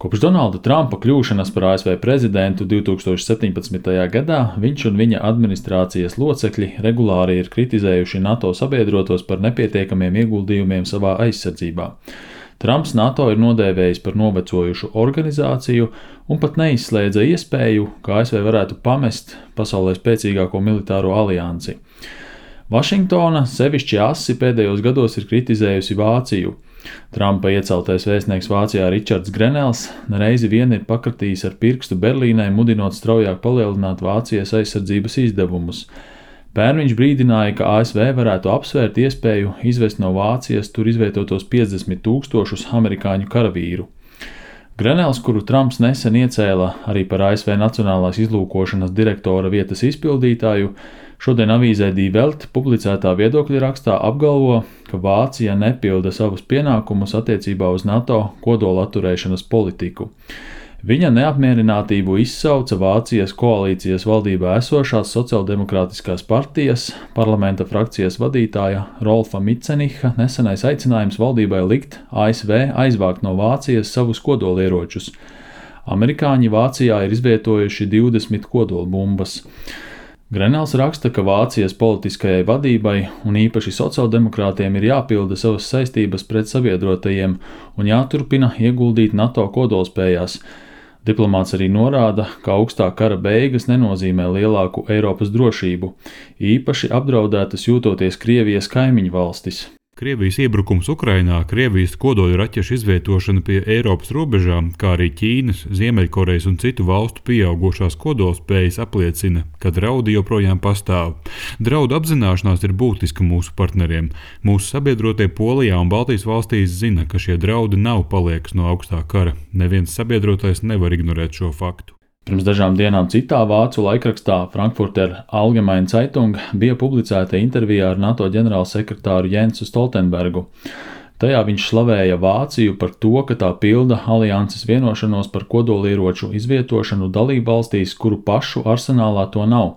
Kopš Donalda Trumpa kļūšanas par ASV prezidentu 2017. gadā viņš un viņa administrācijas locekļi regulāri ir kritizējuši NATO sabiedrotos par nepietiekamiem ieguldījumiem savā aizsardzībā. Trumps NATO ir nodēvējis par novecojušu organizāciju un pat neizslēdza iespēju, ka ASV varētu pamest pasaulē spēcīgāko militāro aliansi. Vašingtona sevišķi asi pēdējos gados ir kritizējusi Vāciju. Trumpa ieceltais vēstnieks Vācijā Ričards Grenels nereizi vien ir pakratījis ar pirkstu Berlīnai, mudinot straujāk palielināt Vācijas aizsardzības izdevumus. Pērn viņš brīdināja, ka ASV varētu apsvērt iespēju izvest no Vācijas tur izvietotos 50,000 amerikāņu karavīru. Grenels, kuru Trumps nesen iecēla arī par ASV Nacionālās izlūkošanas direktora vietas izpildītāju, šodien avīzē Die Welt publicētā viedokļa rakstā apgalvo, ka Vācija nepilda savus pienākumus attiecībā uz NATO kodola atturēšanas politiku. Viņa neapmierinātību izsauca Vācijas koalīcijas valdībā esošās sociāldemokrātiskās partijas parlamenta frakcijas vadītāja Rolfa Mitseniha nesenais aicinājums valdībai likt ASV aizvākt no Vācijas savus kodolieročus. Amerikāņi Vācijā ir izvietojuši 20 kodolbumbas. Grenels raksta, ka Vācijas politiskajai vadībai un īpaši sociāldemokrātiem ir jāpilda savas saistības pret sabiedrotajiem un jāturpina ieguldīt NATO kodolspējās. Diplomāts arī norāda, ka augstā kara beigas nenozīmē lielāku Eiropas drošību, īpaši apdraudētas jūtoties Krievijas kaimiņu valstis. Krievijas iebrukums Ukrainā, Krievijas kodolraķešu izvietošana pie Eiropas robežām, kā arī Ķīnas, Ziemeļkorejas un citu valstu pieaugušās kodolspējas apliecina, ka draudi joprojām pastāv. Draudu apzināšanās ir būtiska mūsu partneriem. Mūsu sabiedrotie Polijā un Baltijas valstīs zina, ka šie draudi nav paliekas no augstā kara. Neviens sabiedrotais nevar ignorēt šo faktu. Pirms dažām dienām citā vācu laikrakstā Frankfurter Allgemeine Zeitung bija publicēta intervijā ar NATO ģenerālsekretāru Jensu Stoltenbergu. Tajā viņš slavēja Vāciju par to, ka tā pilda alianses vienošanos par kodolieroču izvietošanu dalībvalstīs, kuru pašu arsenālā to nav.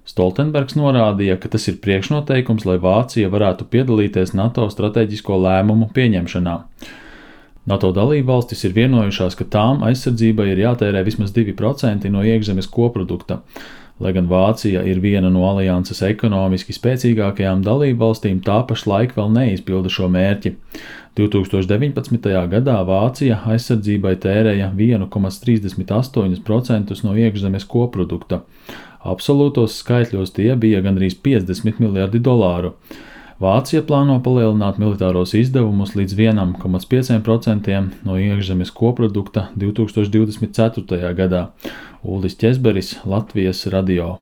Stoltenbergs norādīja, ka tas ir priekšnoteikums, lai Vācija varētu piedalīties NATO strateģisko lēmumu pieņemšanā. NATO dalībvalstis ir vienojušās, ka tām aizsardzībai ir jātērē vismaz 2% no iekšzemes koprodukta. Lai gan Vācija ir viena no alianses ekonomiski spēcīgākajām dalībvalstīm, tā pašlaik vēl neizpilda šo mērķi. 2019. gadā Vācija aizsardzībai tērēja 1,38% no iekšzemes koprodukta. Absolūtos skaitļos tie bija gandrīz $50 miljardi. Vācija plāno palielināt militāros izdevumus līdz 1,5% no iekšzemes koprodukta 2024. gadā. Uldis Ķezberis, Latvijas radio.